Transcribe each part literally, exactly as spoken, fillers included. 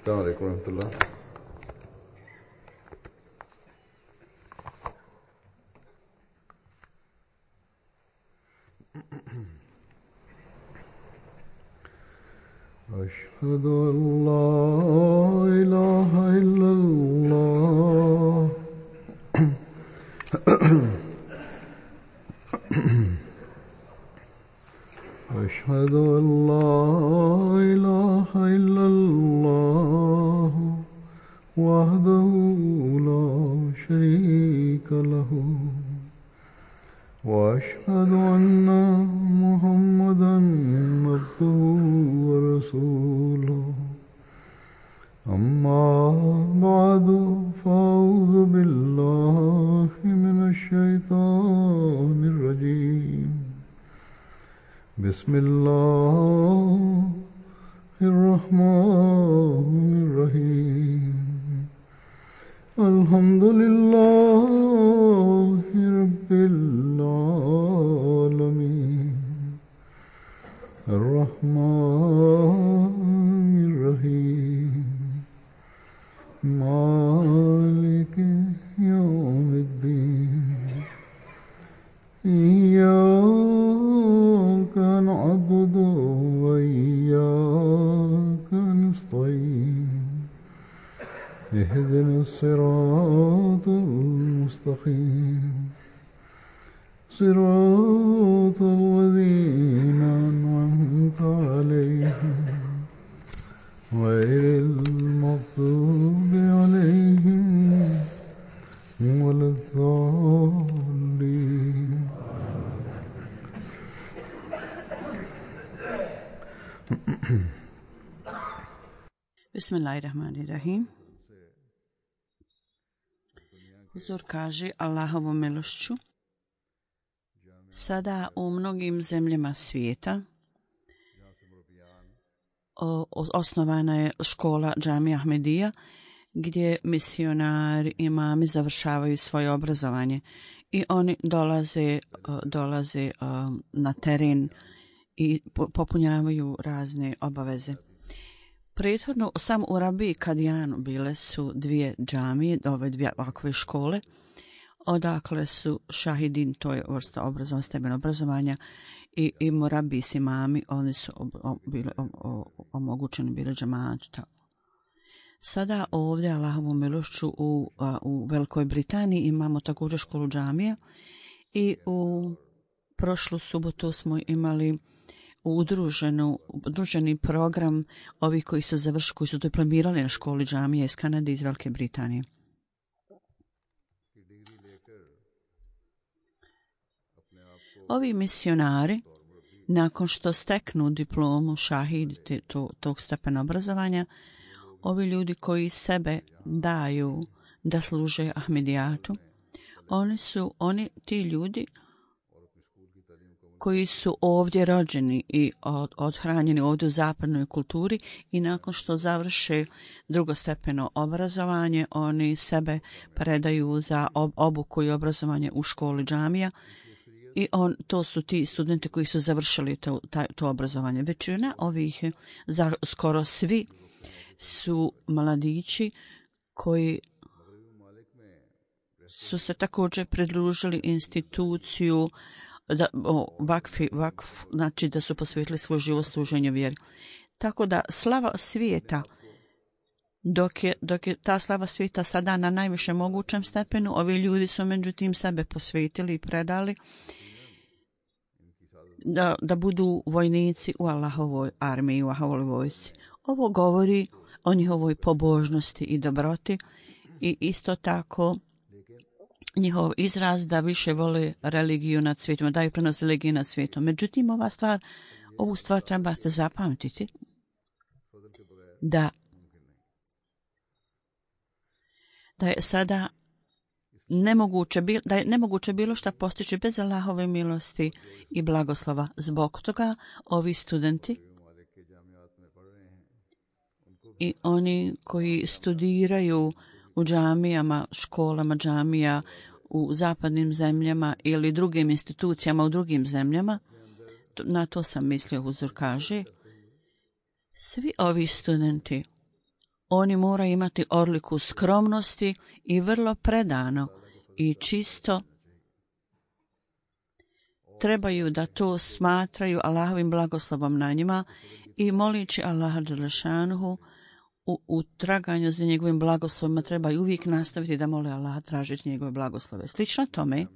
السلام عليكم ورحمة الله. أشهد أن لا إله إلا الله. أشهد أن لا إله إلا الله وحده لا شريك له وأشهد أن محمدا عبده ورسوله. أما بعد فأعوذ بالله من الشيطان الرجيم. بسم الله الرحمن الرحيم. الحمد لله رب العالمين الرحمن الرحيم مالك يوم الدين. إياك نعبد وإياك نستعين. اهدنا الصراط المستقيم صراط الذين أنعمت عليهم غير المغضوب عليهم ولا الضالين. Bismillahirrahmanirrahim. Huzur kaže Allahovom milošću. Sada u mnogim zemljama svijeta o, osnovana je škola Džamija Ahmedija gdje misionari, imami završavaju svoje obrazovanje i oni dolaze, dolaze na teren i popunjavaju razne obaveze. Prethodno sam u Rabiji Kadijanu bile su dvije džamije, ove dvije ovakve škole, odakle su šahidin, to je vrsta obrazovanja, stepen obrazovanja, i, i Murabi s imami, oni su ob, ob, bili omogućeni bili džamatu. Sada ovdje, Allahovom milošću, u, u Velikoj Britaniji imamo također školu džamija i u prošlu subotu smo imali udruženu, udruženi program ovih koji su završili, koji su diplomirali na školi džamija iz Kanade i iz Velike Britanije. Ovi misionari, nakon što steknu diplomu šahid to, tog stepena obrazovanja, ovi ljudi koji sebe daju da služe Ahmedijatu, oni su, oni, ti ljudi koji su ovdje rođeni i od, odhranjeni ovdje u zapadnoj kulturi i nakon što završe drugostepeno obrazovanje, oni sebe predaju za ob, obuku i obrazovanje u školi džamija i on, to su ti studenti koji su završili to, taj, to obrazovanje. Većina ovih, za, skoro svi, su mladići koji su se također pridružili instituciju da, o, vakfi, vakf, znači da su posvetili svoj život služenju vjeri. Tako da slava svijeta, dok je, dok je ta slava svijeta sada na najvišem mogućem stepenu, ovi ljudi su međutim sebe posvetili i predali da, da budu vojnici u Allahovoj armiji, u Allahovoj vojsci. Ovo govori o njihovoj pobožnosti i dobroti i isto tako njihov izraz da više vole religiju nad svijetom, da ih prenose religiju nad svijetom. Međutim, ova stvar, ovu stvar trebate zapamtiti, da, da je sada nemoguće, da je nemoguće bilo šta postići bez Allahove milosti i blagoslova. Zbog toga ovi studenti i oni koji studiraju u džamijama, školama džamija u zapadnim zemljama ili drugim institucijama u drugim zemljama, na to sam mislio, Huzur kaže, svi ovi studenti, Oni moraju imati odliku skromnosti i vrlo predano i čisto trebaju da to smatraju Allahovim blagoslovom na njima i molići Allaha dželešanuhu u, u traganju za njegovim blagoslovima trebaju uvijek nastaviti da mole Allaha tražeći njegove blagoslove. Slično tome,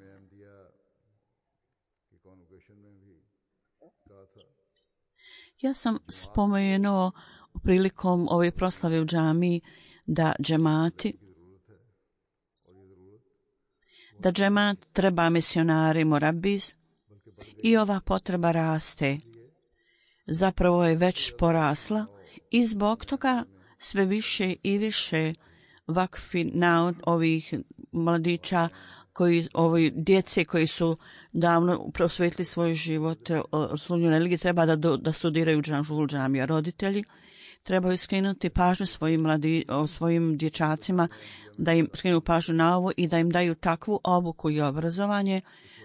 ja sam spomenuo prilikom ove proslave u džamiji da džemati da džemat treba misionari morabis i ova potreba raste. Zapravo je već porasla i zbog toga sve više i više vakfi na ovih mladića, koji, ovi djece koji su davno prosvetili svoj život slunju religiji, treba da, do, da studiraju u džamija. Roditelji trebaju skrenuti pažnju svojim, mladi, svojim dječacima, da im skrenu pažnju na ovo i da im daju takvu obuku i obrazovanje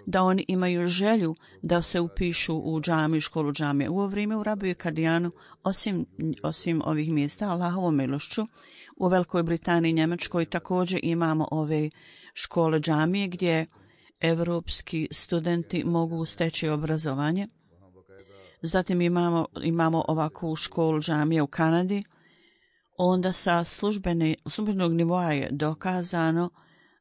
da oni imaju želju da se upišu u džamiju, školu džamije. U ovo vrijeme u Rabiju i Kadijanu, osim, osim ovih mjesta, Allahovom milošću, u Velikoj Britaniji i Njemačkoj također imamo ove škole džamije gdje evropski studenti mogu steći obrazovanje. Zatim imamo, imamo ovakvu školu džamije u Kanadi. Onda sa službene, službenog nivoa je dokazano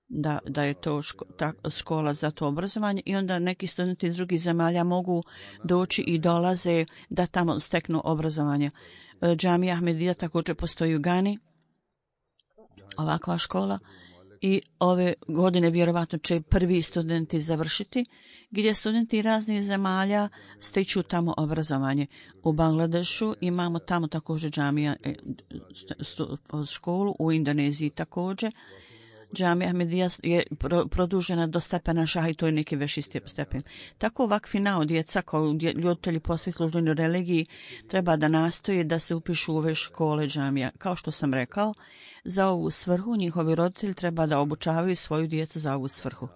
da, da je to ško, ta, škola za to obrazovanje i onda neki studenti iz drugih zemalja mogu doći i dolaze da tamo steknu obrazovanje. Džamija Ahmedija također postoji u Gani, ovakva škola, i ove godine vjerovatno će prvi studenti završiti, gdje studenti raznih zemalja stiču tamo obrazovanje. U Bangladešu imamo tamo također džamija školu, u Indoneziji također. Džamija Ahmedija je pro, produžena do stepena šaha i to je neki veći stepen. Tako ovakvi nao djeca kao ljuditelji posve službenoj religiji treba da nastoje da se upišu u ove škole džamija. Kao što sam rekao, za ovu svrhu njihovi roditelji treba da obučavaju svoju djecu za ovu svrhu.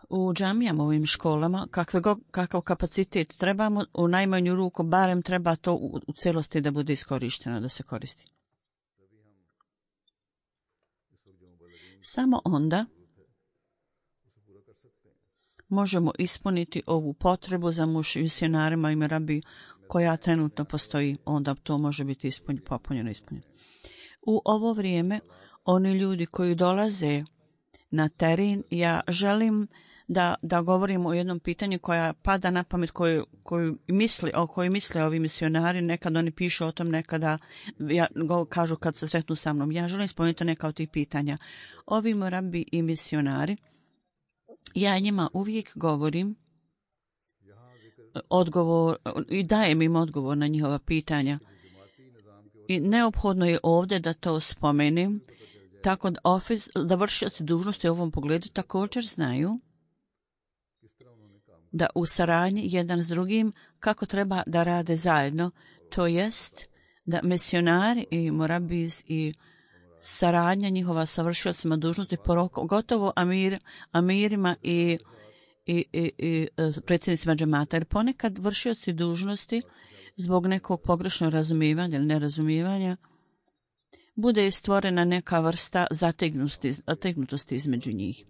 U džamijama, ovim školama, kakve go, kakav kapacitet trebamo, u najmanju ruku barem treba to u, u celosti da bude iskorišteno, da se koristi. Samo onda možemo ispuniti ovu potrebu za misionarima i merabi koja trenutno postoji, onda to može biti ispunjeno, popunjeno, ispunjeno. U ovo vrijeme, oni ljudi koji dolaze na teren, ja želim da, da govorimo o jednom pitanju koja pada na pamet, koju, koju misli, o kojoj misle ovi misionari, nekad oni pišu o tom, nekada ja, go, kažu kad se sretnu sa mnom. Ja želim spomenuti neka od tih pitanja. Ovi morabi i misionari, ja njima uvijek govorim odgovor i dajem im odgovor na njihova pitanja. I neophodno je ovdje da to spomenem, tako da, ofis, da vršioci dužnosti u ovom pogledu također znaju da u saradnji jedan s drugim kako treba da rade zajedno, to jest da misionari i morabis i saradnja njihova sa vršiocima dužnosti, gotovo amir, amirima i, i, i, i predsjednicima džemata, jer ponekad vršioci dužnosti zbog nekog pogrešnog razumijevanja ili nerazumijevanja bude stvorena neka vrsta zategnutosti, zategnutosti između njih.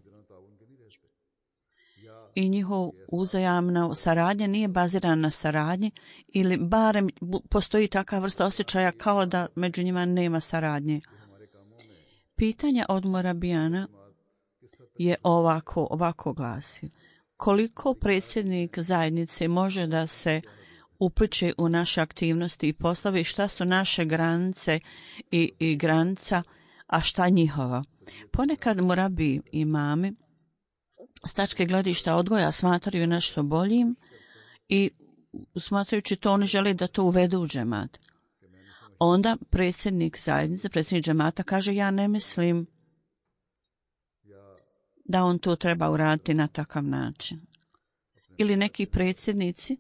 I njihov uzajamna saradnja nije bazirana na saradnji ili barem postoji takva vrsta osjećaja kao da među njima nema saradnje. Pitanja od morabijana je ovako, ovako glasi. Koliko predsjednik zajednice može da se upliče u naše aktivnosti i poslove i šta su naše granice i, i granica, a šta njihova? Ponekad morabi imami s tačke gledišta odgoja smatraju nešto boljim i smatrajući to oni žele da to uvedu u džemat. Onda predsjednik zajednice, predsjednik džemata kaže ja ne mislim da on to treba uraditi na takav način. Ili neki predsjednici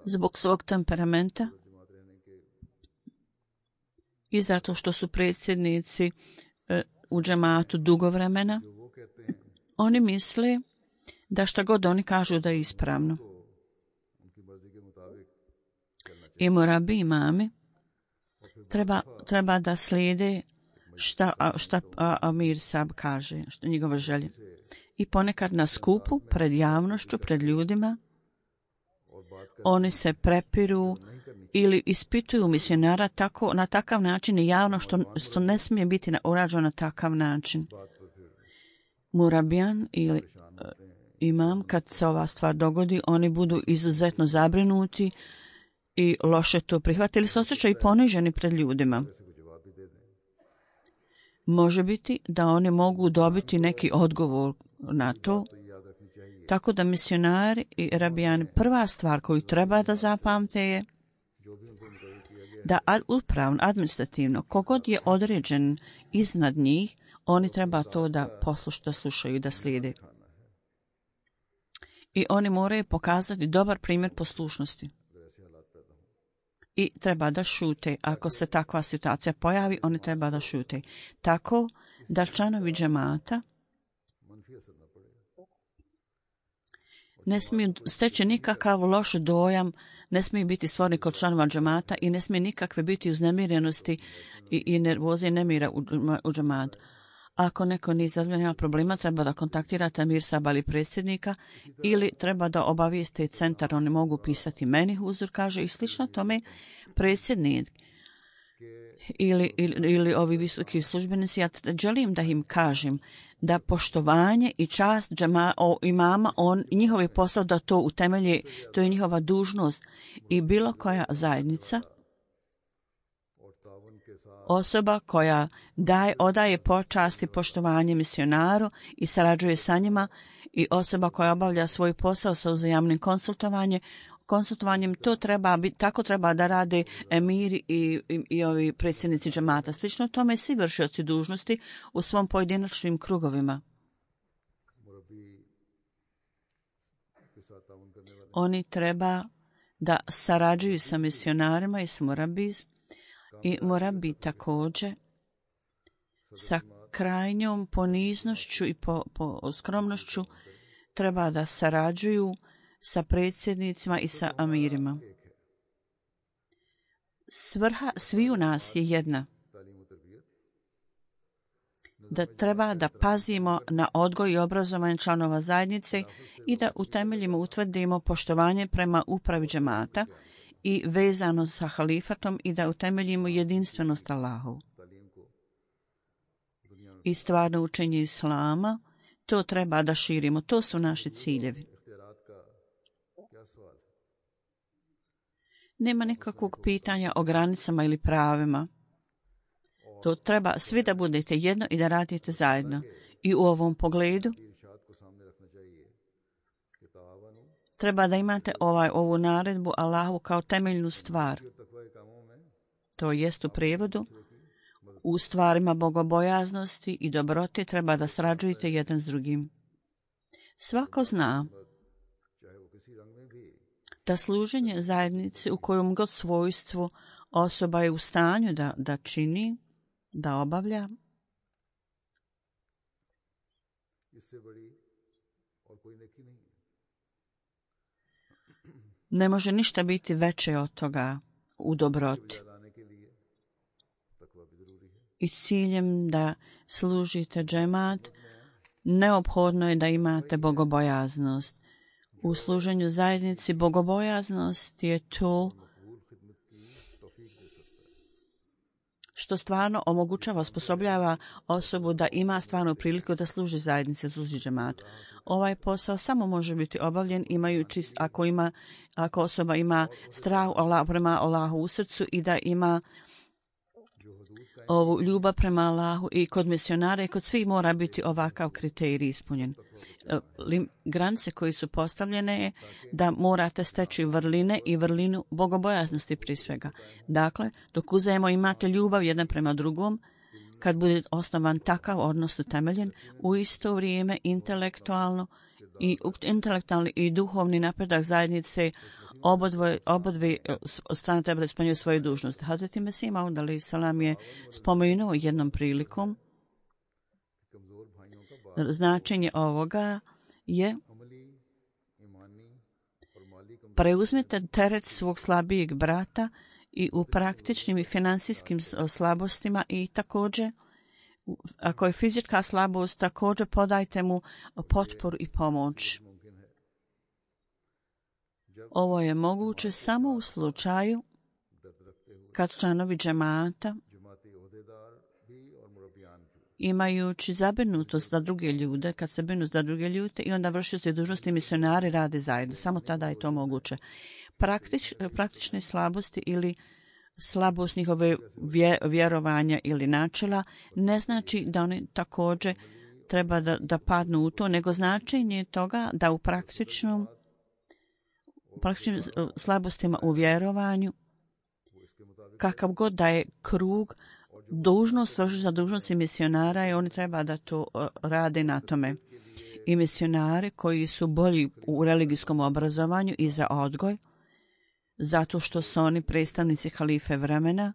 zbog svog temperamenta i zato što su predsjednici e, u džematu dugo vremena, oni misle da šta god oni kažu da je ispravno. I morabi imami treba, treba da slijede šta, šta Amir Sab kaže, što njegove želje. I ponekad na skupu, pred javnošću, pred ljudima, oni se prepiru ili ispituju misionara tako, na takav način i javno, što, što ne smije biti urađeno na takav način. Murabijan ili uh, imam, kad se ova stvar dogodi, oni budu izuzetno zabrinuti i loše to prihvatili, se osjećaju i poniženi pred ljudima. Može biti da oni mogu dobiti neki odgovor na to, tako da misionari i rabijani, prva stvar koju treba da zapamte je da upravno, administrativno, kogod je određen iznad njih, oni treba to da poslušaju, da slušaju i da slijede. I oni moraju pokazati dobar primjer poslušnosti. I treba da šute. Ako se takva situacija pojavi, oni treba da šute. Tako da članovi džemata ne smiju steći nikakav loš dojam, ne smiju biti stvoreni kod članova džemata i ne smije nikakve biti uznemirenosti i, i nervoze i nemira u, u džematu. Ako neko nije izazvan nema problema, treba da kontaktirate Amir Saba ili predsjednika ili treba da obavijeste centar, oni mogu pisati meni, huzur kaže, i slično tome predsjednik ili, ili, ili ovi visoki službenici. Ja želim da im kažem da poštovanje i čast džema, o, imama, on, njihov je posao da to utemelje, to je njihova dužnost i bilo koja zajednica, osoba koja daje, odaje počast i poštovanje misionaru i sarađuje sa njima i osoba koja obavlja svoj posao sa uzajamnim konsultovanjem, konsultovanjem to treba, tako treba da rade emiri i, i, i ovi predsjednici džemata. Slično tome svi vršioci dužnosti u svom pojedinačnim krugovima. Oni treba da sarađuju sa misionarima i s murabijom. I mora biti također sa krajnjom poniznošću i po, po skromnošću treba da sarađuju sa predsjednicima i sa amirima. Svrha sviju nas je jedna. Da treba da pazimo na odgoj i obrazovanje članova zajednice i da utemeljimo, utvrdimo poštovanje prema upravi džemata i vezano sa halifatom i da utemeljimo jedinstvenost Allahu. I stvarno učenje Islama, to treba da širimo, to su naši ciljevi. Nema nikakvog pitanja o granicama ili pravima. To treba svi da budete jedno i da radite zajedno. I u ovom pogledu treba da imate ovaj, ovu naredbu Allahu kao temeljnu stvar. To jest u prijevodu, u stvarima bogobojaznosti i dobrote treba da srađujete jedan s drugim. Svako zna da služenje zajednice u kojom god svojstvu osoba je u stanju da, da čini, da obavlja, ne može ništa biti veće od toga u dobroti. I ciljem da služite džemat, neophodno je da imate bogobojaznost. U služenju zajednici bogobojaznost je to što stvarno omogućava, osposobljava osobu da ima stvarnu priliku da služi zajednici, služi džematu. Ovaj posao samo može biti obavljen imajući, ako, ima, ako osoba ima strah Allah, prema Allahu u srcu i da ima ovu ljubav prema Allahu i kod misionara i kod svih mora biti ovakav kriterij ispunjen. Granice koje su postavljene je da morate steći vrline i vrlinu bogobojaznosti prije svega. Dakle, dok uzajemo imate ljubav jedan prema drugom, kad bude osnovan takav odnos utemeljen, u isto vrijeme intelektualno i intelektualni i duhovni napredak zajednice obodve, obodve od strane treba da ispunjuju svoju dužnost. Hazreti Mesih Maud alejhi selam je spomenuo jednom prilikom značenje ovoga je preuzmite teret svog slabijeg brata i u praktičnim i financijskim slabostima i također, ako je fizička slabost, također podajte mu potporu i pomoć. Ovo je moguće samo u slučaju kad članovi džemata, imajući zabrinutost za druge ljude, kad se brinu za druge ljude i onda vršioci dužnosti misionari rade zajedno. Samo tada je to moguće. Praktič, praktične slabosti ili slabost njihove vjerovanja ili načela ne znači da oni također treba da, da padnu u to, nego značenje toga da u praktičnom praktičnim slabostima u vjerovanju, kakav god da je krug, dužnost vrši za dužnosti misionara i oni treba da to rade na tome. I misionari koji su bolji u religijskom obrazovanju i za odgoj, zato što su oni predstavnici halife vremena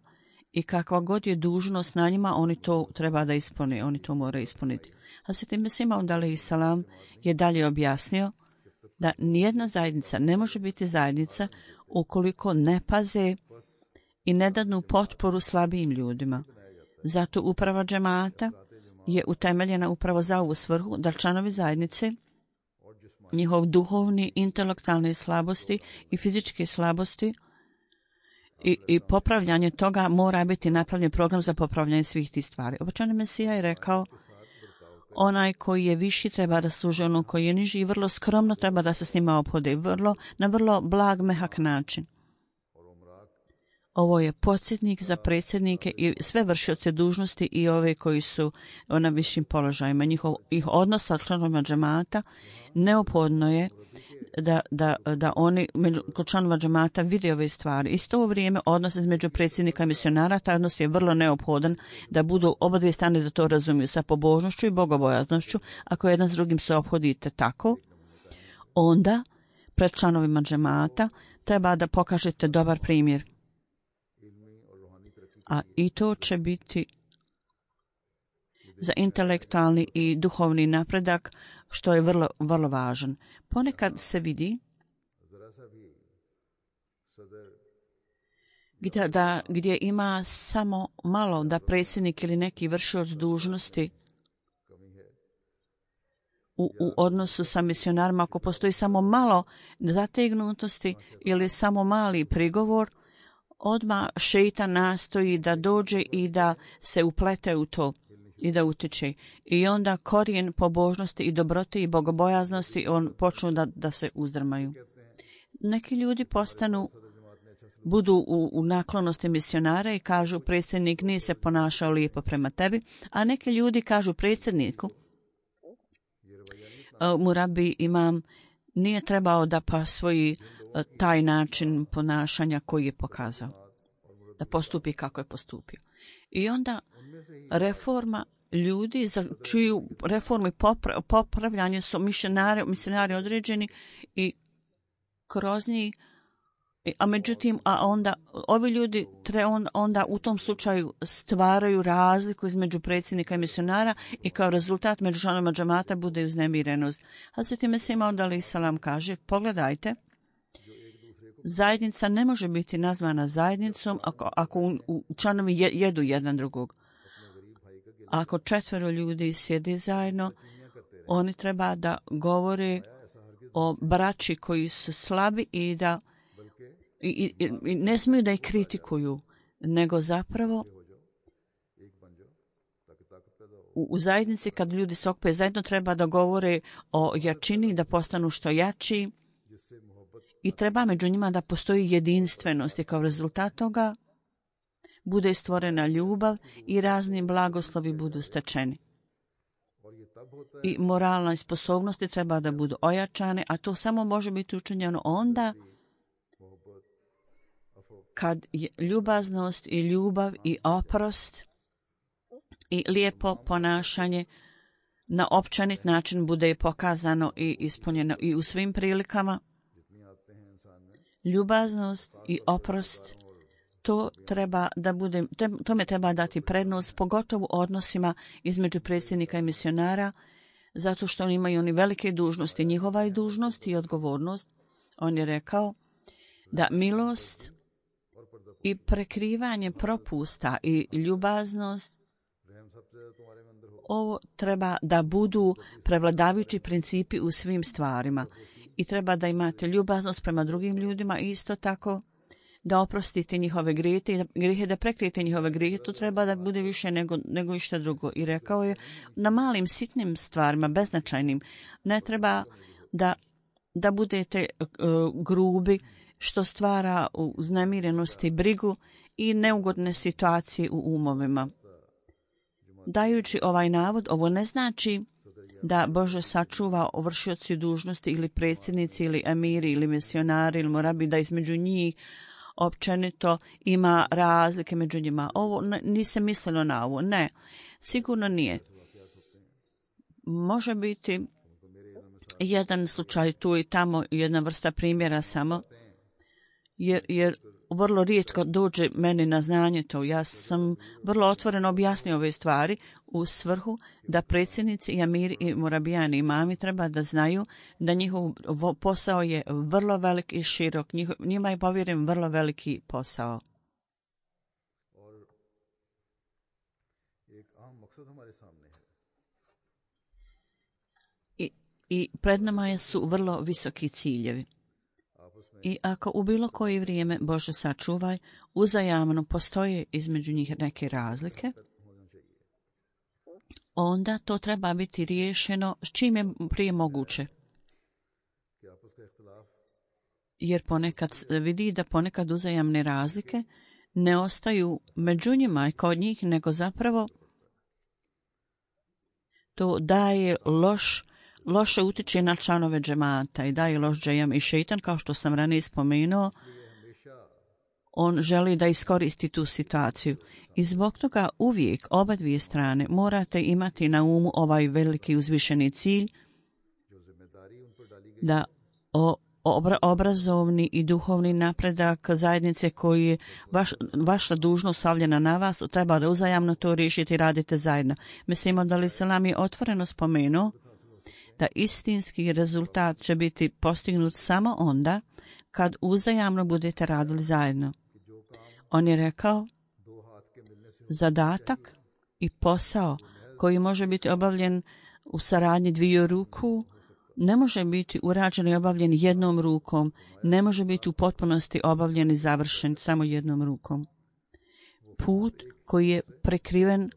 i kakva god je dužnost na njima, oni to treba da ispune, oni to moraju ispuniti. Hazreti Mesih Maud alejhi selam je dalje objasnio da nijedna zajednica ne može biti zajednica ukoliko ne paze i ne dadnu potporu slabijim ljudima. Zato uprava džemata je utemeljena upravo za ovu svrhu da članovi zajednice, njihov duhovni, intelektualne slabosti i fizičke slabosti i, i popravljanje toga mora biti napravljen program za popravljanje svih tih stvari. Obećani Mesija je rekao, onaj koji je viši treba da služi onom koji je niži i vrlo skromno treba da se s njima ophode, vrlo, na vrlo blag, mehak način. Ovo je podsjetnik za predsjednike i sve vršioce dužnosti i ove koji su na višim položajima. Njihov ih odnos sa članovima džemata neophodno je da, da, da oni među, kod članova džemata vide ove stvari. Isto u vrijeme odnos između predsjednika i misionara, taj odnos je vrlo neophodan da budu oba dvije strane da to razumiju sa pobožnošću i bogobojaznošću. Ako jedan s drugim se ophodite tako, onda pred članovima džemata treba da pokažete dobar primjer. A i to će biti za intelektualni i duhovni napredak, što je vrlo, vrlo važan. Ponekad se vidi gdje, da, gdje ima samo malo da predsjednik ili neki vršioc dužnosti u, u odnosu sa misionarima, ako postoji samo malo zategnutosti ili samo mali prigovor, odmah šeitan nastoji da dođe i da se uplete u to i da utiče. I onda korijen pobožnosti i dobrote i bogobojaznosti on počnu da, da se uzdrmaju. Neki ljudi postanu, budu u, u naklonosti misionara i kažu predsjednik nije se ponašao lijepo prema tebi, a neki ljudi kažu predsjedniku, murabi imam, nije trebao da pa svoji taj način ponašanja koji je pokazao, da postupi kako je postupio. I onda reforma ljudi za čiju reformu i popra, popravljanje su misionari, misionari određeni i kroz njih, a međutim, a onda ovi ljudi tre, on, onda u tom slučaju stvaraju razliku između predsjednika i misionara i kao rezultat među članovima džemata bude uznemirenost. Hazreti Mesih Maud alejhi selam kaže, pogledajte, zajednica ne može biti nazvana zajednicom ako, ako u, u članovi jedu jedan drugog. Ako četvero ljudi sjedi zajedno, oni treba da govore o braći koji su slabi i da i, i, i ne smiju da ih kritikuju, nego zapravo u, u zajednici kad ljudi se okupe zajedno treba da govore o jačini, da postanu što jači i treba među njima da postoji jedinstvenost i kao rezultat toga bude stvorena ljubav i razni blagoslovi budu stečeni. I moralne sposobnosti treba da budu ojačane, a to samo može biti učinjeno onda kad je ljubaznost i ljubav i oprost i lijepo ponašanje na općenit način bude pokazano i ispunjeno i u svim prilikama. Ljubaznost i oprost, to treba da bude, tome treba dati prednost, pogotovo u odnosima između predsjednika i misionara, zato što oni imaju oni velike dužnosti. Njihova je dužnost i odgovornost. On je rekao, da milost i prekrivanje propusta i ljubaznost, ovo treba da budu prevladavajući principi u svim stvarima. I treba da imate ljubaznost prema drugim ljudima i isto tako da oprostite njihove grijehe i da, grijehe, da prekrijete njihove grijehe. To treba da bude više nego, nego išta drugo. I rekao je, na malim, sitnim stvarima, beznačajnim, ne treba da, da budete uh, grubi, što stvara uznemirenost i brigu i neugodne situacije u umovima. Dajući ovaj navod, ovo ne znači da Bože sačuva vršioci dužnosti ili predsjednici ili emiri ili misionari ili morabi, da između njih općenito ima razlike među njima. Ovo nisam mislilo na ovo. Ne, sigurno nije. Može biti jedan slučaj tu i tamo, jedna vrsta primjera samo, jer, jer vrlo rijetko dođe meni na znanje to. Ja sam vrlo otvoreno objasnio ove stvari u svrhu da predsjednici i amiri i morabijani imami treba da znaju da njihov posao je vrlo velik i širok. Njih, njima je povjeren vrlo veliki posao. I, i pred nama su vrlo visoki ciljevi. I ako u bilo koje vrijeme, Bože sačuvaj, uzajamno postoje između njih neke razlike, onda to treba biti riješeno s čim je prije moguće. Jer ponekad vidi da ponekad uzajamne razlike ne ostaju među njima i kod njih, nego zapravo to daje loš loše utiče na članove džemata i daje loš džejam i šeitan, kao što sam ranije spomenuo, on želi da iskoristi tu situaciju. I zbog toga uvijek oba dvije strane morate imati na umu ovaj veliki uzvišeni cilj da o, obra, obrazovni i duhovni napredak zajednice koji je vaš, vaša dužnost stavljena na vas, treba da uzajamno to riješite i radite zajedno. Mislimo da li Selam je otvoreno spomenuo da istinski rezultat će biti postignut samo onda kad uzajamno budete radili zajedno. On je rekao, zadatak i posao koji može biti obavljen u saradnji dviju ruku ne može biti urađen i obavljen jednom rukom, ne može biti u potpunosti obavljen i završen samo jednom rukom. Put koji je prekriven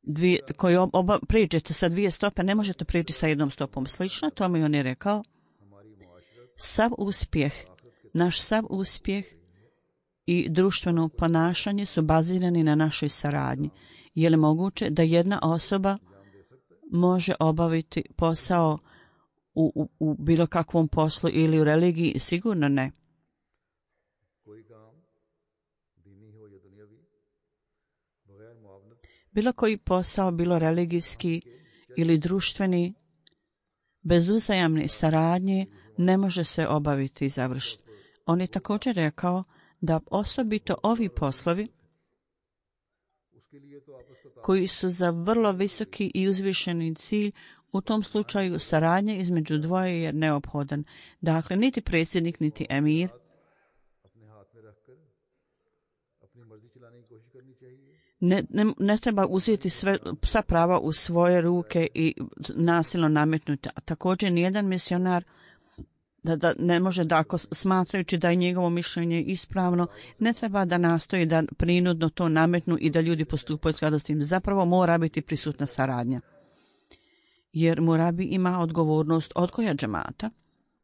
Dvije, koji oba, prijeđete sa dvije stope, ne možete prijeći sa jednom stopom. Slično tome on je rekao, sav uspjeh, naš sav uspjeh i društveno ponašanje su bazirani na našoj saradnji. Je li moguće da jedna osoba može obaviti posao u, u, u bilo kakvom poslu ili u religiji? Sigurno ne. Bilo koji posao, bilo religijski ili društveni, bez uzajamne saradnje ne može se obaviti i završiti. On je također rekao da osobito ovi poslovi koji su za vrlo visoki i uzvišeni cilj, u tom slučaju saradnja između dvoje je neophodan. Dakle, niti predsjednik, niti emir Ne, ne, ne treba uzeti sve, sva prava u svoje ruke i nasilno nametnuti. A također nijedan misionar da, da ne može da, ako smatrajući da je njegovo mišljenje ispravno, ne treba da nastoji da prinudno to nametnu i da ljudi postupaju u skladu s tim. Zapravo mora biti prisutna saradnja. Jer morabi ima odgovornost odgoja džemata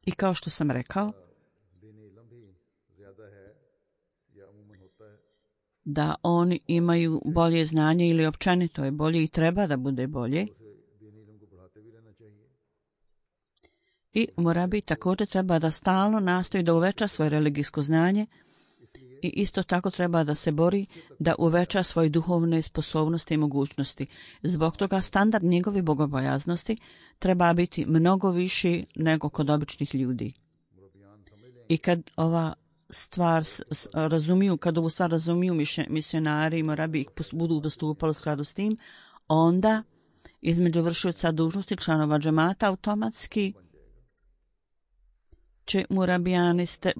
i kao što sam rekao, da oni imaju bolje znanje ili općenito je bolje i treba da bude bolje. I morabi također treba da stalno nastoji da uveća svoje religijsko znanje i isto tako treba da se bori da uveća svoje duhovne sposobnosti i mogućnosti. Zbog toga standard njegove bogobojaznosti treba biti mnogo viši nego kod običnih ljudi. I kad ova stvar razumiju, kad ovu stvar razumiju misionari i morabi ih budu postupali u skladu s tim, onda između vršioca dužnosti članova džemata automatski će murabijani ste,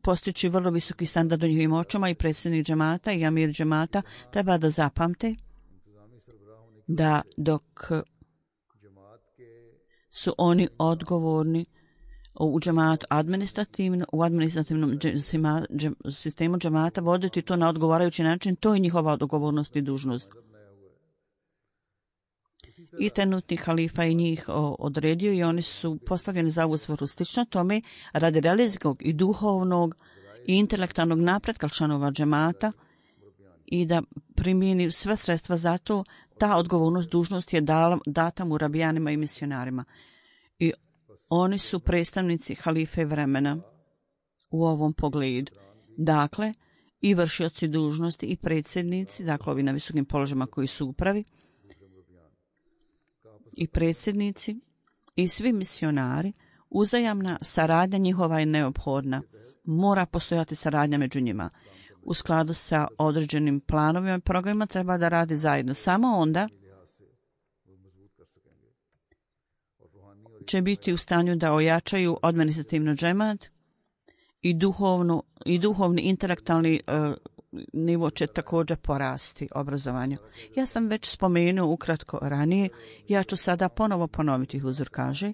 postići vrlo visoki standard u njihovim očima i predsjednik džemata i amir džemata treba da zapamte da dok su oni odgovorni u džematu administrativno, u administrativnom džema, džem, sistemu džemata voditi to na odgovarajući način, to je njihova odgovornost i dužnost. I trenutni halifa i njih odredio i oni su postavljeni za ovu svrhu. Slično tome, radi religijskog i duhovnog i intelektualnog napretka članova džemata i da primijeni sve sredstva za to, ta odgovornost, dužnost je dala, data murabijanima i misionarima. I oni su predstavnici halife vremena u ovom pogledu. Dakle, i vršioci dužnosti i predsjednici, dakle ovi na visokim položajima koji su upravi, i predsjednici i svi misionari, uzajamna saradnja njihova je neophodna. Mora postojati saradnja među njima. U skladu sa određenim planovima i programima treba da radi zajedno. Samo onda će biti u stanju da ojačaju administrativno džemat i, duhovnu, i duhovni intelektualni uh, nivo će također porasti obrazovanja. Ja sam već spomenuo ukratko ranije, ja ću sada ponovo ponoviti, huzur kaže,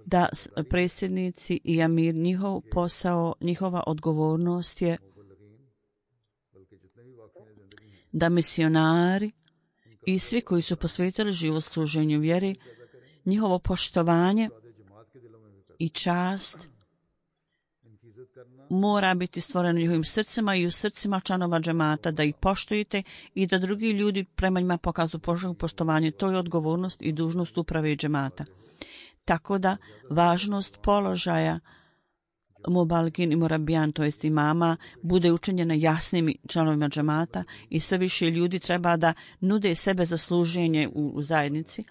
da predsjednici i amir, njihov posao, njihova odgovornost je da misionari i svi koji su posvetili život služenju vjeri, njihovo poštovanje i čast mora biti stvoreno u njihovim srcima i u srcima članova džemata, da ih poštujete i da drugi ljudi prema njima pokazuju poštovanje. To je odgovornost i dužnost uprave i džemata. Tako da važnost položaja mubalgin i murabijan, to jest imama, bude učinjena jasnim članovima džemata i sve više ljudi treba da nude sebe za služenje u, u zajednici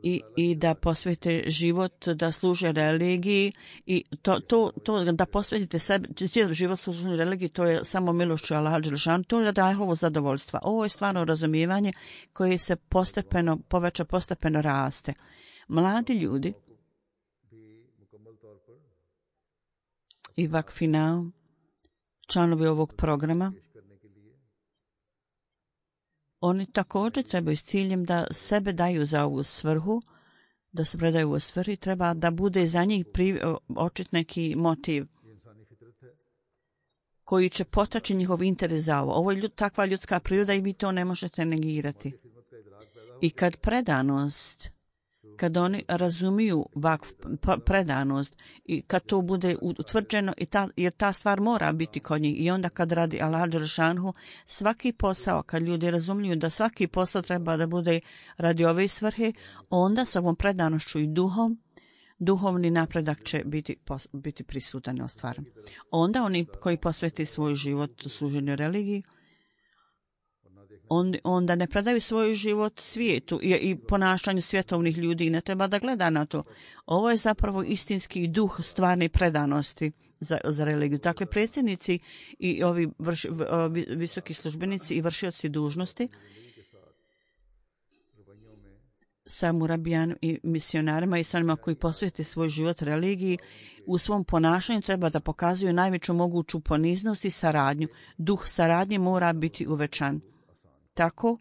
i, i da posvete život, da služe religiji i to, to, to da posvetite sebe, život služenju religiji, to je samo milošću Allaha dželešanu, to je Allahovo zadovoljstva. Ovo je stvarno razumijevanje koje se postepeno, poveća, postepeno raste. Mladi ljudi i vakfinao, članovi ovog programa, oni također trebaju s ciljem da sebe daju za ovu svrhu, da se predaju u svrhi, treba da bude za njih pri, očit neki motiv koji će potaći njihov interes za ovo. Ovo je ljud, takva ljudska priroda i vi to ne možete negirati. I kad predanost, kad oni razumiju vakf, predanost i kad to bude utvrđeno, i ta, jer ta stvar mora biti kod njih, i onda kad radi Allah dželešanu, svaki posao, kad ljudi razumiju da svaki posao treba da bude radi ove svrhe, onda sa ovom predanošću i duhom, duhovni napredak će biti, biti prisutan i ostvaren. Onda oni koji posveti svoj život služenju religiji, On, onda ne predaju svoj život svijetu i, i ponašanju svjetovnih ljudi i ne treba da gleda na to. Ovo je zapravo istinski duh stvarne predanosti za, za religiju. Dakle, predsjednici i ovi vrš, ovi visoki službenici i vršioci dužnosti sa murabijan i misionarima i sa onima koji posvete svoj život religiji, u svom ponašanju treba da pokazuju najveću moguću poniznost i saradnju. Duh saradnje mora biti uvećan. Tako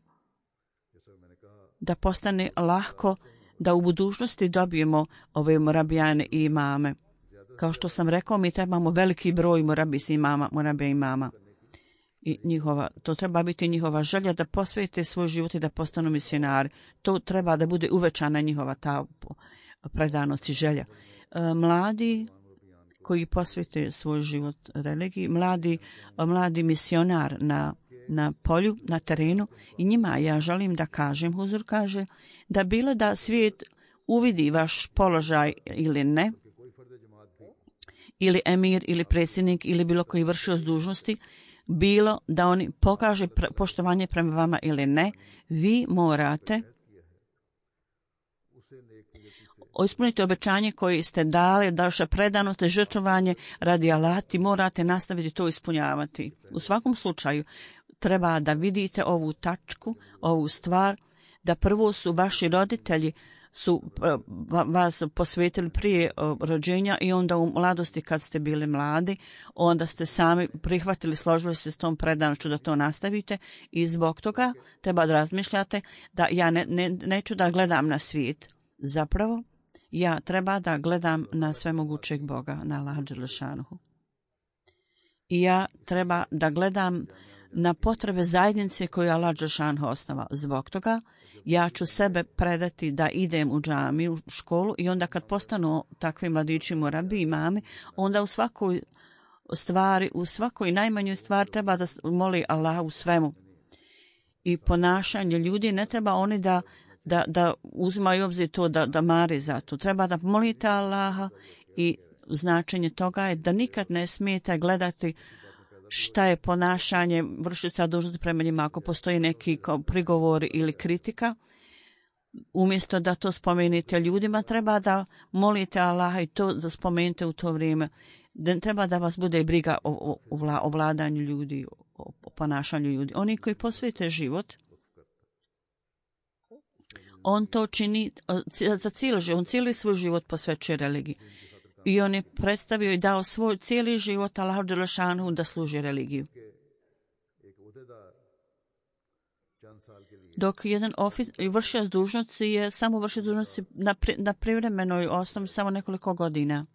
da postane lahko da u budućnosti dobijemo ove murabijane i imame. Kao što sam rekao, mi trebamo veliki broj murabis imama, murabija imama. I njihova, to treba biti njihova želja da posvete svoj život i da postanu misionari. To treba da bude uvećana njihova ta predanost i želja. E, mladi koji posvete svoj život religiji, mladi, mladi misionar na na polju, na terenu, i njima ja želim da kažem, huzur kaže, da bilo da svijet uvidi vaš položaj ili ne, ili emir, ili predsjednik, ili bilo koji vršioc dužnosti, bilo da oni pokaže pre, poštovanje prema vama ili ne, vi morate ispuniti obećanje koje ste dali, daše predanost, žrtvovanje radi Alati, morate nastaviti to ispunjavati. U svakom slučaju, treba da vidite ovu tačku, ovu stvar, da prvo su vaši roditelji su vas posvetili prije rođenja i onda u mladosti kad ste bili mladi, onda ste sami prihvatili, složili se s tom predanošću da to nastavite i zbog toga treba da razmišljate da ja ne, ne, neću da gledam na svijet. Zapravo, ja treba da gledam na svemogućeg Boga, na Allaha dželešanuhu. I ja treba da gledam na potrebe zajednice koju Allah dželešanuhu osnova. Zbog toga ja ću sebe predati da idem u džamiju, u školu i onda kad postanu takvi mladići murabi i mami, onda u svakoj stvari, u svakoj najmanjoj stvari treba da moli Allah u svemu. I ponašanje ljudi ne treba oni da da, da uzimaju obzir to, da, da mari za to. Treba da molite Allaha i značenje toga je da nikad ne smijete gledati šta je ponašanje vršioca dužnosti prema njima. Ako postoji neki prigovor ili kritika, umjesto da to spomenite ljudima, treba da molite Allaha i to da spomenete u to vrijeme. Da treba da vas bude briga o, o, o, vla, o vladanju ljudi, o, o ponašanju ljudi. Oni koji posvete život, on to čini za cijeli život, on cijeli svoj život posvećuje religiji. I on je predstavio i dao svoj cijeli život Allahu dželešanuhu da služi religiju. Dok jedan ofic, vršioc dužnosti je samo vršioc dužnosti na, pri, na privremenoj osnovi samo nekoliko godina.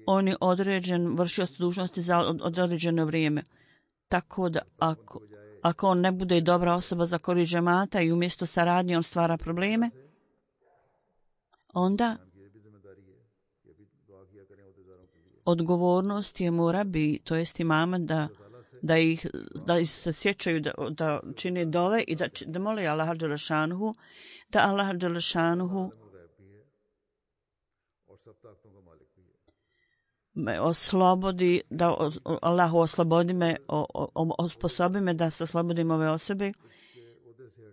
On je određen vršioc dužnosti za od, određeno vrijeme. Tako da ako, ako on ne bude dobra osoba za korist džemata i umjesto saradnje on stvara probleme, onda odgovornost je murabi, to jest imama da, da, ih, da ih se sjećaju da, da čine dove i da, da mole Allaha dželešanuhu, da Allaha dželešanuhu me oslobodi, da Allahu oslobodi me, osposobi me da se oslobodim ove osobe.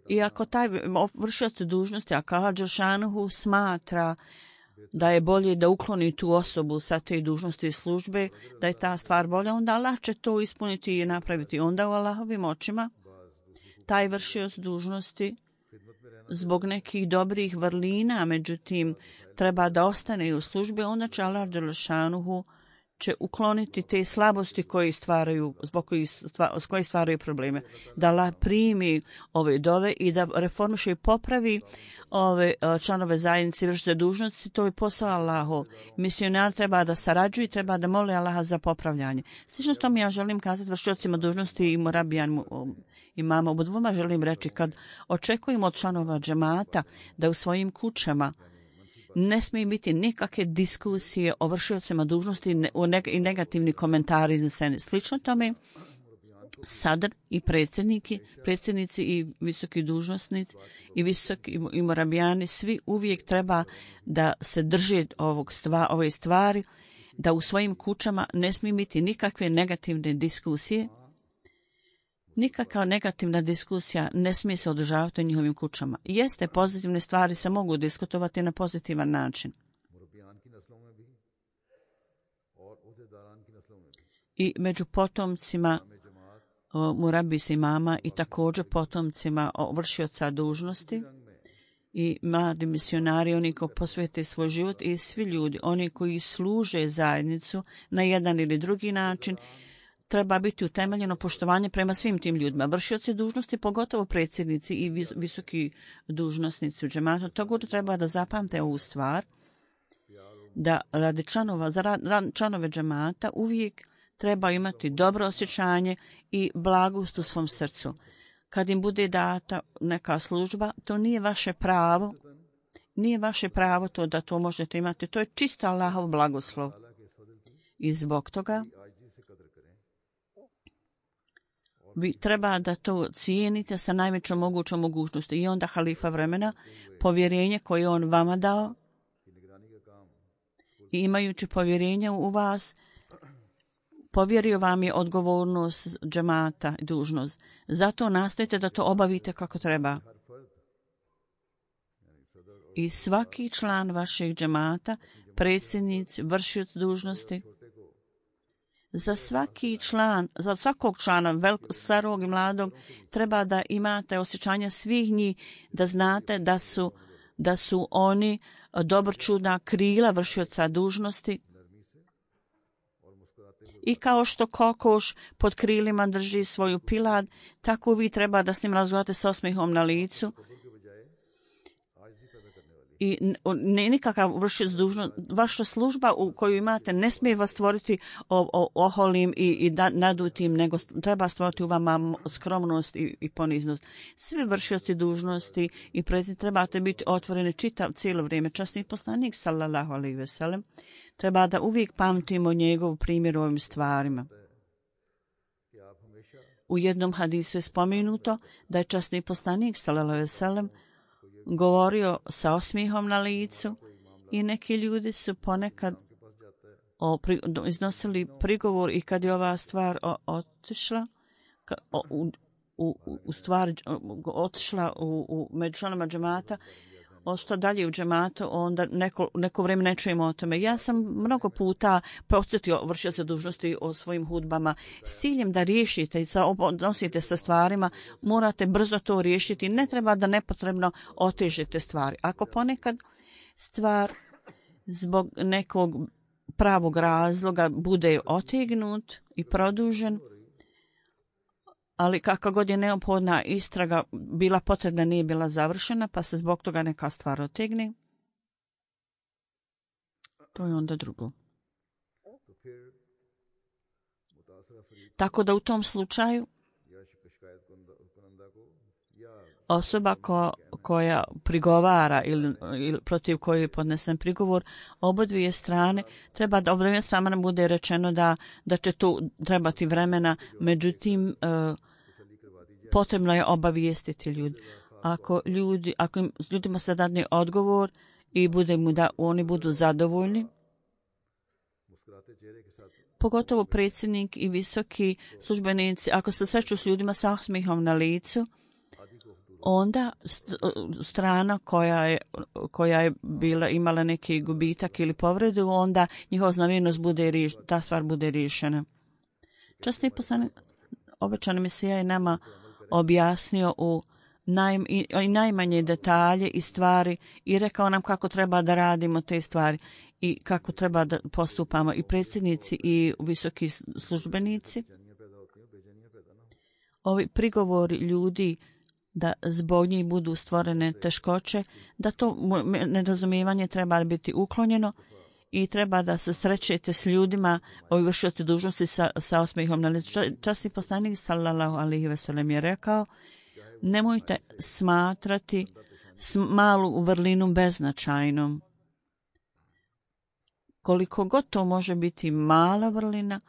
I ako taj vršioc dužnosti, ako Allah dželešanuhu smatra da je bolje da ukloni tu osobu sa te dužnosti i službe, da je ta stvar bolja, onda Allah će to ispuniti i napraviti. Onda u Allahovim očima taj vršioc dužnosti zbog nekih dobrih vrlina, međutim, treba da ostane u službi, onda će Allah dželešanuhu će ukloniti te slabosti koje stvaraju, zbog kojih stva, koje stvaraju probleme. Da Allah primi ove dove i da reformiše i popravi ove članove zajednice vršioce dužnosti, to je posao Allahov. Misionar treba da sarađuje i treba da moli Allaha za popravljanje. Slično tome ja želim kazati vršiocima dužnosti i murabijan i mama. Oba dvoma želim reći kad očekujemo od članova džemata da u svojim kućama ne smije biti nikakve diskusije o vršiocima dužnosti i negativni komentari izneseni. Slično tome, sadr i predsjedniki, predsjednici i visoki dužnosnici i visoki i morabijani, svi uvijek treba da se drže ovog stva, ove stvari, da u svojim kućama ne smije biti nikakve negativne diskusije. Nikakva negativna diskusija ne smije se održavati u njihovim kućama. Jeste, pozitivne stvari se mogu diskutovati na pozitivan način. I među potomcima murabisa imama i također potomcima vršioca dužnosti i mladi misionari, oni koji posvete svoj život i svi ljudi, oni koji služe zajednicu na jedan ili drugi način, treba biti utemeljeno poštovanje prema svim tim ljudima. Vršioci dužnosti, pogotovo predsjednici i visoki dužnosnici u džematu, također treba da zapamte ovu stvar, da radi članova, za rad, članove džemata uvijek treba imati dobro osjećanje i blagost u svom srcu. Kad im bude data neka služba, to nije vaše pravo, nije vaše pravo to da to možete imati. To je čisto Allahov blagoslov. I zbog toga vi treba da to cijenite sa najvećom mogućom mogućnosti. I onda halifa vremena, povjerenje koje on vama dao i imajući povjerenje u vas, povjerio vam je odgovornost džemata i dužnost. Zato nastojite da to obavite kako treba. I svaki član vašeg džemata, predsjednici, vršioc dužnosti, za svaki član, za svakog člana, velikog, starog i mladog, treba da imate osjećanja svih njih, da znate da su da su oni dobročudna krila vršioca dužnosti i kao što kokoš pod krilima drži svoju pilad, tako vi treba da s njim razgovarate s osmihom na licu. I ne nikakav vršioc dužnost, vaša služba u koju imate ne smije vas stvoriti o, o, oholim i, i da, nadutim, nego treba stvoriti u vama skromnost i, i poniznost. Svi vršioci dužnosti i predsjednici trebate biti otvoreni čitav cijelo vrijeme. Časni poslanik sallallahu alejhi ve sellem treba da uvijek pamtimo njegov primjer u ovim stvarima. U jednom hadisu je spomenuto da je časni poslanik sallallahu alejhi ve sellem govorio sa osmihom na licu i neki ljudi su ponekad o, pri, iznosili prigovor i kad je ova stvar o, otišla ka, o, u, u, u stvar o, otišla u, u među članama džemata, ošla dalje u džematu, onda neko, neko vrijeme ne čujemo o tome. Ja sam mnogo puta podsjetio vršioce dužnosti o svojim hudbama s ciljem da riješite i odnosite sa stvarima, morate brzo to riješiti. Ne treba da nepotrebno otežite stvari. Ako ponekad stvar zbog nekog pravog razloga bude otegnut i produžen, ali kakva god je neophodna istraga bila potrebna, nije bila završena, pa se zbog toga neka stvar otegne, to je onda drugo. Tako da u tom slučaju osoba ko, koja prigovara ili, ili protiv koje je podnesen prigovor, obodvije strane, treba da obodvije strane bude rečeno da, da će tu trebati vremena, međutim uh, potrebno je obavijestiti ljudi. Ako, ljudi, ako im, ljudima se dadne odgovor i bude mu da oni budu zadovoljni, pogotovo predsjednik i visoki službenici, ako se sreću s ljudima sa osmihom na licu, onda strana koja je, koja je bila, imala neki gubitak ili povredu, onda njihova znamenitost bude, ta stvar bude riješena. Časni poslanik obećani Mesija je nama objasnio u naj, i, i najmanje detalje i stvari i rekao nam kako treba da radimo te stvari i kako treba da postupamo i predsjednici i visoki službenici. Ovi prigovori ljudi da zbog njih budu stvorene teškoće, da to nerazumijevanje treba biti uklonjeno i treba da se srećete s ljudima, ovi vršioci dužnosti sa, sa osmihom na licu. Časni poslanik sallallahu alejhi ve sellem je rekao, nemojte smatrati malu vrlinu beznačajnom. Koliko god to može biti mala vrlina,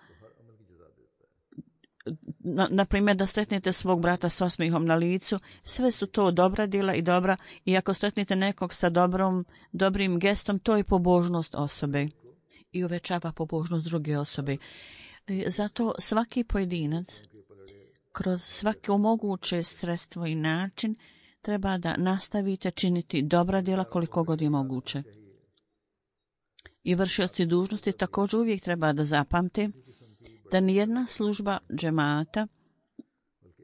na, na primjer da sretnete svog brata s osmihom na licu, sve su to dobra djela i dobra, i ako sretnete nekog sa dobrom, dobrim gestom, to je pobožnost osobe i uvećava pobožnost druge osobe. Zato svaki pojedinac kroz svako moguće sredstvo i način treba da nastavite činiti dobra djela koliko god je moguće. I vršioci dužnosti također uvijek treba da zapamte da nijedna služba džemata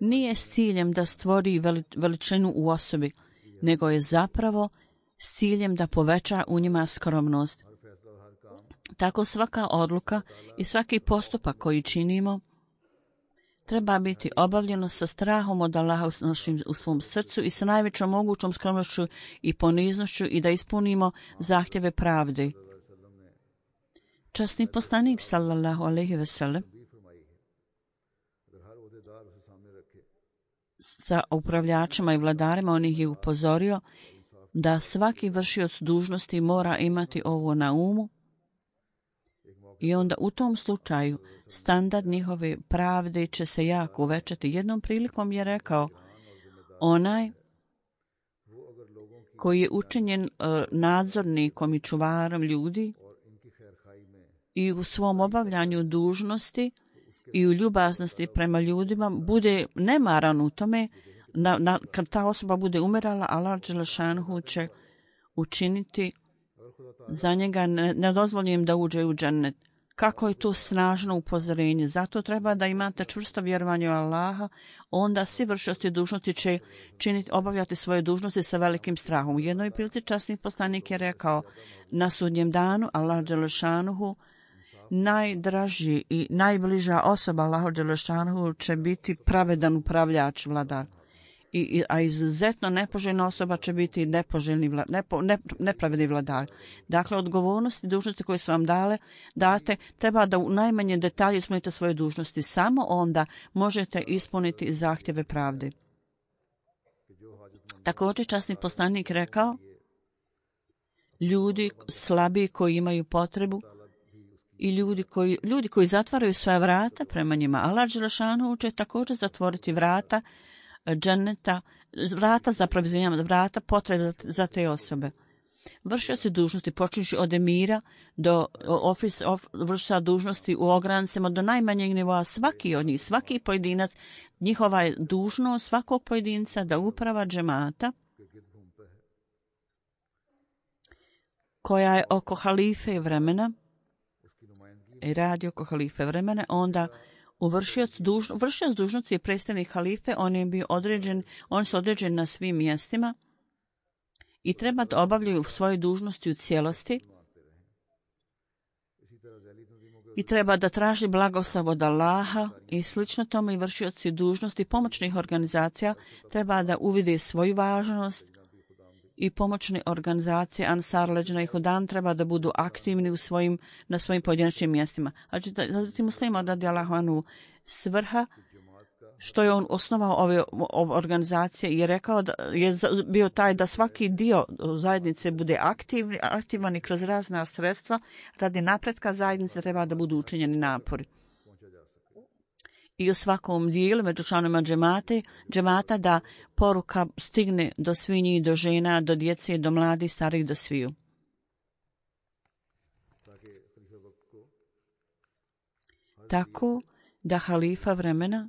nije s ciljem da stvori veličinu u osobi, nego je zapravo s ciljem da poveća u njima skromnost. Tako svaka odluka i svaki postupak koji činimo treba biti obavljeno sa strahom od Allaha u svom srcu i sa najvećom mogućom skromnošću i poniznošću i da ispunimo zahtjeve pravde. Časni poslanik sallallahu alejhi ve sellem sa upravljačima i vladarima on ih je upozorio da svaki vršioc dužnosti mora imati ovo na umu i onda u tom slučaju standard njihove pravde će se jako uvećati. Jednom prilikom je rekao, onaj koji je učinjen uh, nadzornikom i čuvarom ljudi i u svom obavljanju dužnosti i u ljubaznosti prema ljudima bude nemaran u tome, na, na, kad ta osoba bude umirala, Allah dželešanhu će učiniti za njega nedozvoljenim da uđe u džennet. kako je to snažno upozorenje. Zato treba da imate čvrsto vjerovanje u Allaha, onda svi vršioci dužnosti će činiti, obavljati svoje dužnosti sa velikim strahom. U jednoj prilici časni poslanik je rekao, na sudnjem danu Allah dželešanuhu, najdraži i najbliža osoba Allahu dželešanuhu će biti pravedan upravljač, vladar. I, a izuzetno nepoželjna osoba će biti nepoželjni vla, nepo, ne, nepravedni vladar. Dakle, odgovornosti i dužnosti koje su vam dale, date, treba da u najmanje detalje ispunite svoje dužnosti. Samo onda možete ispuniti zahtjeve pravde. Također, časni poslanik rekao, ljudi slabiji koji imaju potrebu i ljudi koji, ljudi koji zatvaraju svoja vrata prema njima, Allah dželešanu će također zatvoriti vrata dženeta, vrata za provizionijem, vrata potrebe za te osobe. Vršioci dužnosti, počinjući od emira do ofis, of, vršioca dužnosti u ograncima, do najmanjeg nivoa, svaki od njih, svaki pojedinac, njihova je dužnost svakog pojedinca da uprava džemata koja je oko halife vremena i radi oko halife vremena, onda Vršioc, duž, vršioc dužnosti je predstavnik halife, on je bio određen, on su određeni na svim mjestima i treba da obavljaju svoje dužnosti u cijelosti i treba da traži blagoslov od Allaha i slično tome i vršioci dužnosti pomoćnih organizacija treba da uvide svoju važnost i pomoćne organizacije Ansar, Leđna i Hudan treba da budu aktivni u svojim, na svojim pojedinačnim mjestima. Hazreti Muslima radijallahu anhu svrha što je on osnovao ove organizacije i je rekao da je bio taj da svaki dio zajednice bude aktivni, aktivan i kroz razna sredstva radi napretka zajednice treba da budu učinjeni napori. I u svakom dijelu među članovima džemate, džemata da poruka stigne do svinji, do žena, do djece, do mladih, starih, do sviju. Tako da halifa vremena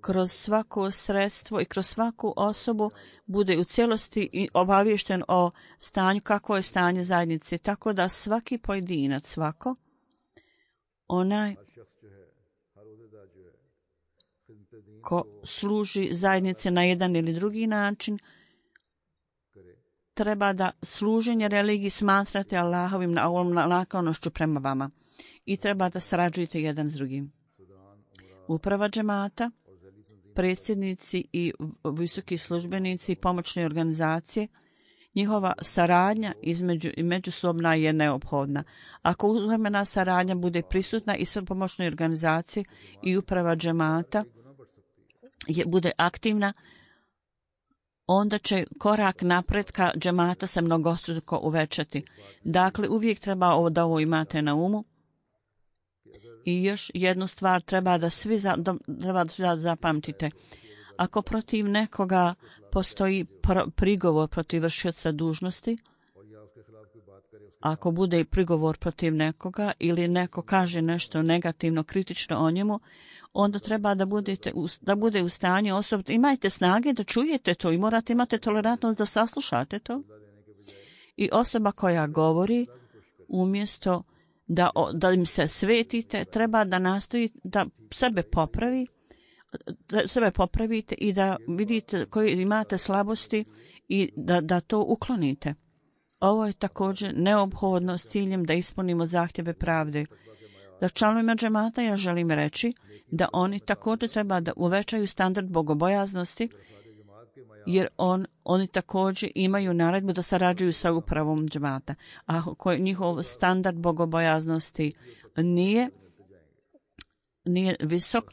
kroz svako sredstvo i kroz svaku osobu bude u cijelosti obaviješten o stanju, kako je stanje zajednice, tako da svaki pojedinac, svako, onaj ko služi zajednice na jedan ili drugi način, treba da služenje religiji smatrate Allahovim naklonošću prema vama i treba da sarađujete jedan s drugim. Uprava džemata, predsjednici i visoki službenici i pomoćne organizacije, njihova saradnja između i međusobna je neophodna. Ako uzemena saradnja bude prisutna i sve pomoćne organizacije i uprava džemata je, bude aktivna, onda će korak napretka džemata se mnogostruko uvećati. Dakle, uvijek treba da ovo imate na umu. I još jednu stvar treba da svi za, da, treba da zapamtite. Ako protiv nekoga postoji pr- prigovor protiv vršioca dužnosti, ako bude i prigovor protiv nekoga ili neko kaže nešto negativno, kritično o njemu, onda treba da, budete, da bude u stanju osobno. Imajte snage da čujete to i morate imati tolerantnost da saslušate to. I osoba koja govori, umjesto da, da im se svetite, treba da nastoji da sebe popravi, da sebe popravite i da vidite koje imate slabosti i da, da to uklonite. Ovo je također neophodno s ciljem da ispunimo zahtjeve pravde. Za članovima džemata ja želim reći da oni također treba da uvećaju standard bogobojaznosti, jer on, oni također imaju naredbu da sarađuju sa upravom džemata. A ako njihov standard bogobojaznosti nije, nije visok,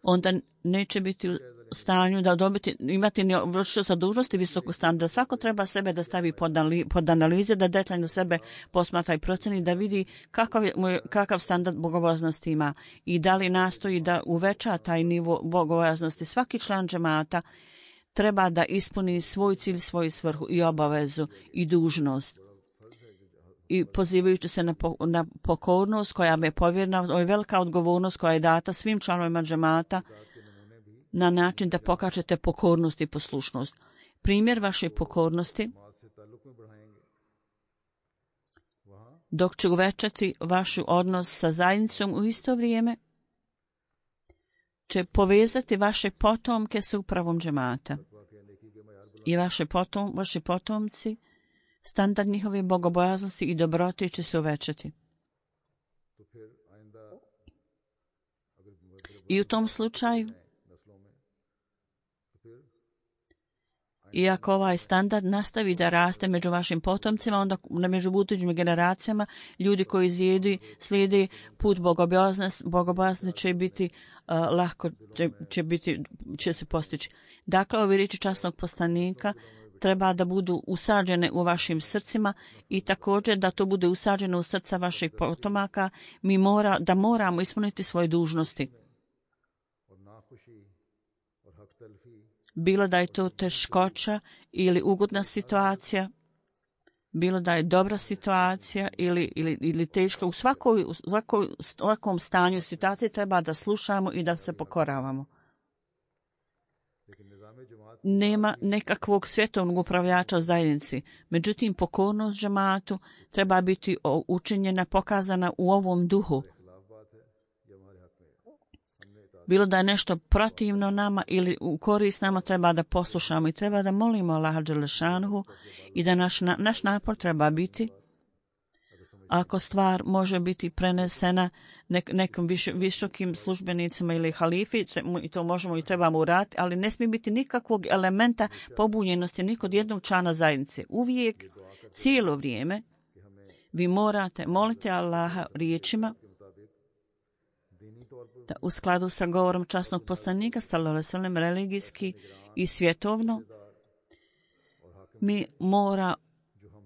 onda neće biti u stanju da dobiti, imati vršioca dužnosti visokog standarda. Svako treba sebe da stavi pod, anali, pod analize, da detaljno sebe posmatra i proceni, da vidi kakav, je, kakav standard bogobojaznosti ima i da li nastoji da uveća taj nivo bogobojaznosti. Svaki član džemata treba da ispuni svoj cilj, svoju svrhu i obavezu i dužnost. I pozivajući se na, po, na pokornost koja je povjerena, ovo je velika odgovornost koja je data svim članovima džemata na način da pokažete pokornost i poslušnost. Primjer vaše pokornosti dok će uvećati vaš odnos sa zajednicom, u isto vrijeme će povezati vaše potomke sa upravom džemata. I vaše potom, vaši potomci, standard njihove bogobojaznosti i dobrote će se uvećati. I u tom slučaju, iako ovaj standard nastavi da raste među vašim potomcima, onda među budućim generacijama, ljudi koji zjedi, slijedi put bogobojaznosti, bogobojaznosti će biti uh, lahko, će, će, biti, će se postići. Dakle, ove riječi časnog poslanika treba da budu usađene u vašim srcima i također da to bude usađeno u srca vaših potomaka. Mi mora, da moramo ispuniti svoje dužnosti. Bilo da je to teškoća ili ugodna situacija, bilo da je dobra situacija ili, ili, ili teška, u svakoj, u svakoj, svakom stanju situacije treba da slušamo i da se pokoravamo. Nema nekakvog svjetovnog upravljača u zajednici. Međutim, pokornost džematu treba biti učinjena, pokazana u ovom duhu. Bilo da je nešto protivno nama ili u korist nama, treba da poslušamo i treba da molimo Allaha dželešanuhu i da naš, naš napor treba biti, ako stvar može biti prenesena nek, nekim viš, visokim službenicima ili halifi, i to možemo i trebamo uraditi, ali ne smije biti nikakvog elementa pobunjenosti ni kod jednog člana zajednice. Uvijek, cijelo vrijeme, vi morate moliti Allaha riječima da u skladu sa govorom časnog poslanika, sallallahu alejhi ve sellem, religijski i svjetovno, mi mora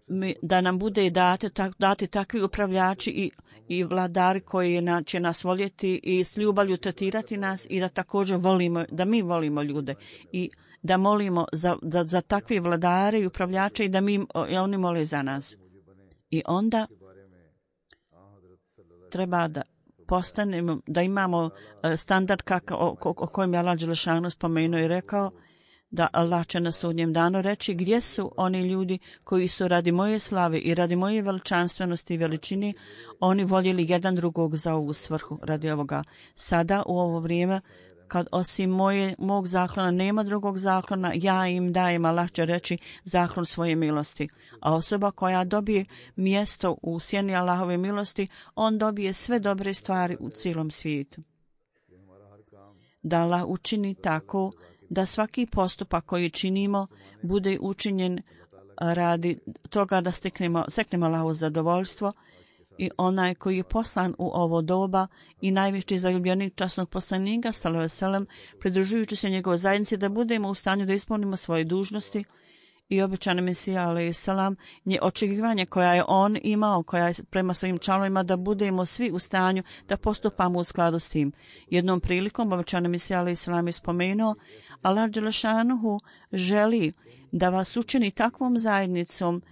mi, da nam bude dati, tak, dati takvi upravljači i, i vladari koji na, će nas voljeti i s ljubavlju tretirati nas i da također volimo, da mi volimo ljude i da molimo za, za, za takvi vladare i upravljače i da mi, oni mole za nas. I onda treba da postanemo, da imamo standard kaka, o, o, o kojem je Allah dželešanu spomenuo i rekao da Allah će na sudnjem danu reći gdje su oni ljudi koji su radi moje slave i radi moje veličanstvenosti i veličini oni voljeli jedan drugog za ovu svrhu radi ovoga. Sada u ovo vrijeme kad osim moje, mog zaklona nema drugog zaklona, ja im dajem, Allah će reći, zaklon svoje milosti. A osoba koja dobije mjesto u sjeni Allahove milosti, on dobije sve dobre stvari u cijelom svijetu. Da Allah učini tako da svaki postupak koji činimo bude učinjen radi toga da steknemo, steknemo Allahovo zadovoljstvo. I onaj koji je poslan u ovo doba i najveći zaljubljenik časnog poslanika, sallallahu alejhi ve sellem, pridružujući se njegove zajednici, da budemo u stanju da ispunimo svoje dužnosti i obećane Mesija, alejhi selam, nje očekivanje koja je on imao, koja je prema svojim članovima, da budemo svi u stanju da postupamo u skladu s tim. Jednom prilikom obećane Mesija, alejhi selam, je spomenuo, Allah dželešanuhu želi da vas učini takvom zajednicom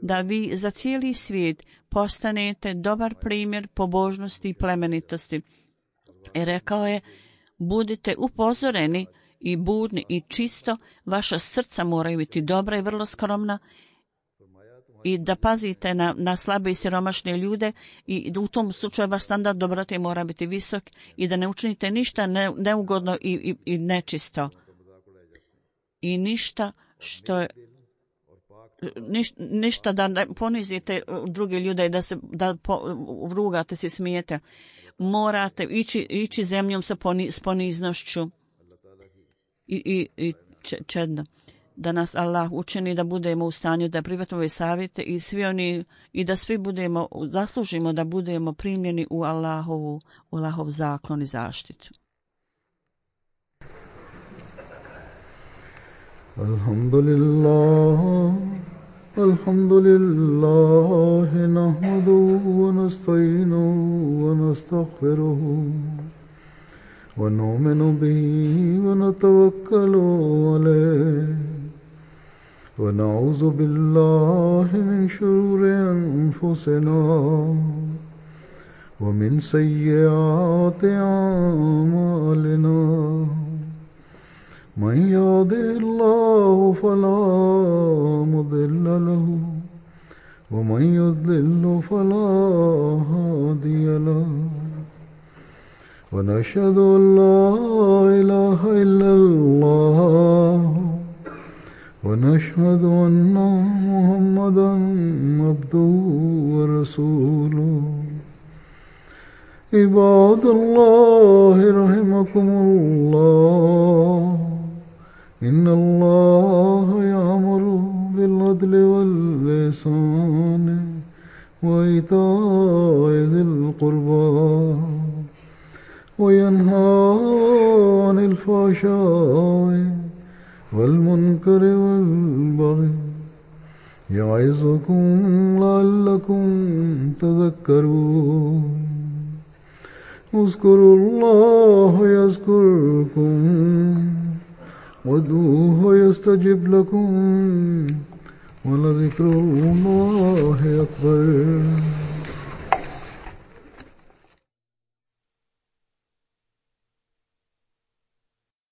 da vi za cijeli svijet postanete dobar primjer pobožnosti i plemenitosti. I rekao je, budite upozoreni i budni i čisto, vaša srca moraju biti dobra i vrlo skromna i da pazite na, na slabe i siromašne ljude i u tom slučaju vaš standard dobrote mora biti visok i da ne učinite ništa ne, neugodno i, i, i nečisto. I ništa što je Niš, ništa da ne ponizite druge ljude i da se da po, vrugate se, smijete. Morate ići, ići zemljom sa poni, s poniznošću i, i, i čedno. Da nas Allah učini da budemo u stanju da prihvatimo ove savjete i svi oni i da svi budemo zaslužimo da budemo primljeni u Allahovu, u Allahov zaklon i zaštitu. Alhamdulillah, alhamdulillah, nahmaduhu wa nasta'inuhu wa nastaghfiruhu wa nu'minu bihi wa natawakkalu alayhi wa na'udhu billahi min shururi anfusina wa min sayyiati a'malina. من يهده الله فلا مضل له ومن يضلل فلا هادي له ونشهد أن لا إله إلا الله ونشهد أن محمدا عبده ورسوله عباد الله رحمكم الله إن الله يأمر بالعدل والإحسان وإيتاء ذي القربى وينهى عن الفحشاء والمنكر والبغي يعظكم لعلكم تذكرون اذكروا الله يذكركم وادعوه يستجب لكم ولذكر الله أكبر